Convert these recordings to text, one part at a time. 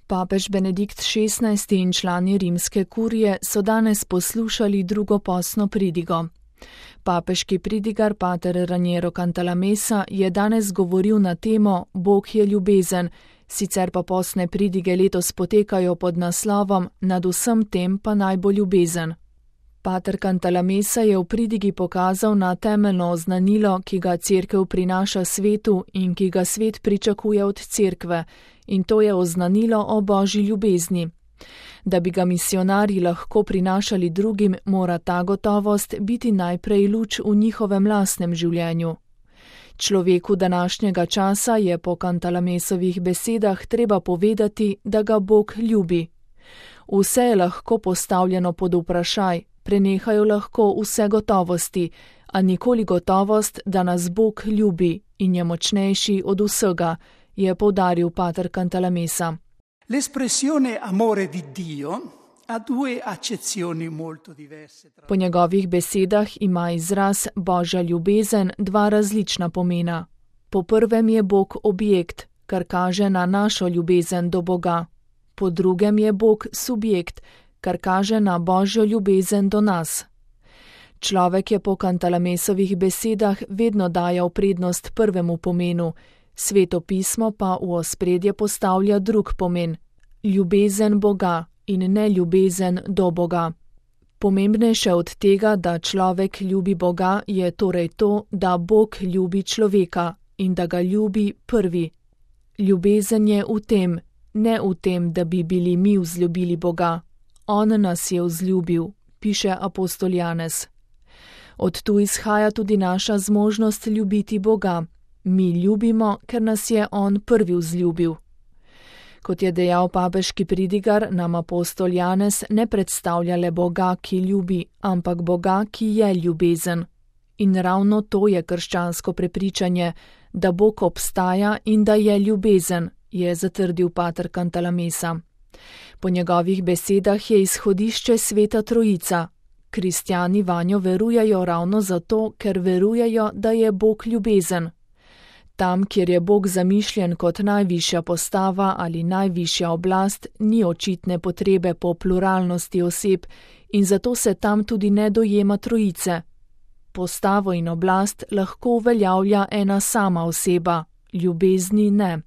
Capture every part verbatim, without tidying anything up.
Papež Benedikt šestnajsti in člani rimske kurije so danes poslušali drugo postno pridigo. Papeški pridigar pater Raniero Cantalamessa je danes govoril na temo Bog je ljubezen, sicer pa postne pridige letos potekajo pod naslovom Nad vsem tem pa naj bo ljubezen. Pater Cantalamessa je v pridigi pokazal na temeljno oznanilo, ki ga Cerkev prinaša svetu in ki ga svet pričakuje od Cerkve, in to je oznanilo o Božji ljubezni. Da bi ga misionarji lahko prinašali drugim, mora ta gotovost biti najprej luč v njihovem lastnem življenju. Človeku današnjega časa je po Cantalamessovih besedah treba povedati, da ga Bog ljubi. Vse je lahko postavljeno pod vprašaj, prenehajo lahko vse gotovosti, a nikoli gotovost, da nas Bog ljubi in je močnejši od vsega, je poudaril pater Cantalamessa. L'espressione amore di Dio ha due accezioni molto diverse. Po njegovih besedah ima izraz Božja ljubezen dva različna pomena. Po prvem je Bog objekt, kar kaže na našo ljubezen do Boga. Po drugem je Bog subjekt, kar kaže na Božjo ljubezen do nas. Človek je po Cantalamessovih besedah vedno dajal prednost prvemu pomenu, Sveto pismo pa v ospredje postavlja drug pomen, ljubezen Boga in ne ljubezen do Boga. Pomembnejše od tega, da človek ljubi Boga, je torej to, da Bog ljubi človeka in da ga ljubi prvi. Ljubezen je v tem, ne v tem, da bi bili mi vzljubili Boga. On nas je vzljubil, piše apostol Janez. Od tu izhaja tudi naša zmožnost ljubiti Boga. Mi ljubimo, ker nas je On prvi vzljubil. Kot je dejal papeški pridigar, nam apostol Janez ne predstavlja le Boga, ki ljubi, ampak Boga, ki je ljubezen. In ravno to je krščansko prepričanje, da Bog obstaja in da je ljubezen, je zatrdil pater Cantalamessa. Po njegovih besedah je izhodišče Sveta Trojica. Kristjani vanjo verujejo ravno zato, ker verujejo, da je Bog ljubezen. Tam, kjer je Bog zamišljen kot najvišja postava ali najvišja oblast, ni očitne potrebe po pluralnosti oseb in zato se tam tudi ne dojema trojice. Postavo in oblast lahko uveljavlja ena sama oseba, ljubezni ne.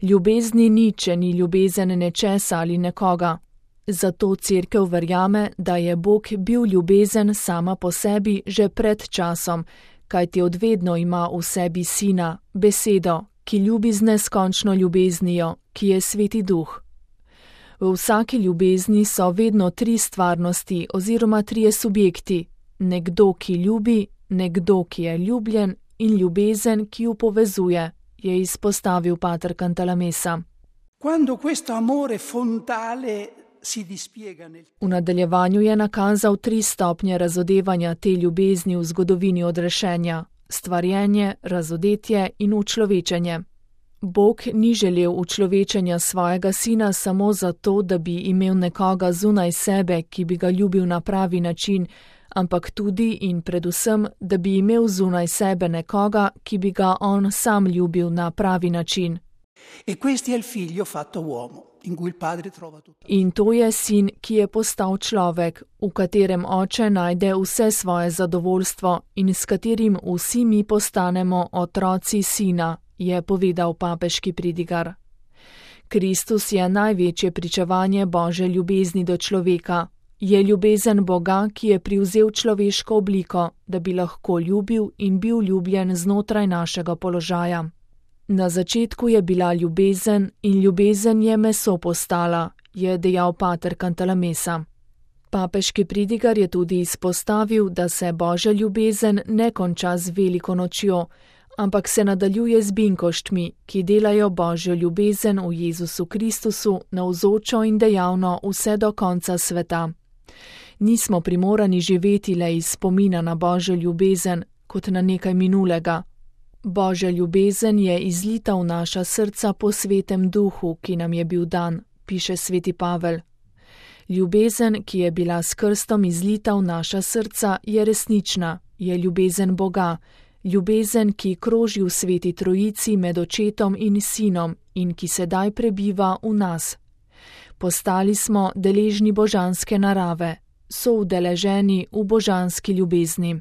Ljubezni ni, če ni ljubezen nečesa ali nekoga. Zato Cerkev verjame, da je Bog bil ljubezen sama po sebi že pred časom, kajti odvedno ima v sebi Sina, besedo, ki ljubi z neskončno ljubeznijo, ki je Sveti Duh. V vsaki ljubezni so vedno tri stvarnosti oziroma trije subjekti, nekdo, ki ljubi, nekdo, ki je ljubljen in ljubezen, ki jo povezuje, je izpostavil pater Cantalamessa. Quando questo amore fontale si dispiega nel... V nadaljevanju je nakazal tri stopnje razodevanja te ljubezni v zgodovini odrešenja, stvarjenje, razodetje in učlovečenje. Bog ni želel učlovečenja svojega sina samo zato, da bi imel nekoga zunaj sebe, ki bi ga ljubil na pravi način, ampak tudi in predvsem, da bi imel zunaj sebe nekoga, ki bi ga on sam ljubil na pravi način. E questo è il figlio fatto uomo, in cui il padre trova tutto. In to je sin, ki je postal človek, v katerem oče najde vse svoje zadovoljstvo in s katerim vsi mi postanemo otroci sina, je povedal papeški pridigar. Kristus je največje pričevanje Božje ljubezni do človeka. Je ljubezen Boga, ki je privzel človeško obliko, da bi lahko ljubil in bil ljubljen znotraj našega položaja. Na začetku je bila ljubezen in ljubezen je meso postala, je dejal pater Cantalamessa. Papeški pridigar je tudi izpostavil, da se Božja ljubezen ne konča z veliko nočjo, ampak se nadaljuje z binkoštmi, ki delajo Božjo ljubezen v Jezusu Kristusu navzočo in dejavno vse do konca sveta. Nismo primorani živeti le iz spomina na Božjo ljubezen, kot na nekaj minulega. Božja ljubezen je izlita v naša srca po Svetem Duhu, ki nam je bil dan, piše sveti Pavel. Ljubezen, ki je bila s krstom izlita v naša srca, je resnična, je ljubezen Boga, ljubezen, ki kroži v Sveti Trojici med Očetom in Sinom in ki sedaj prebiva v nas, Postali smo deležni božanske narave, soudeleženi v božanski ljubezni.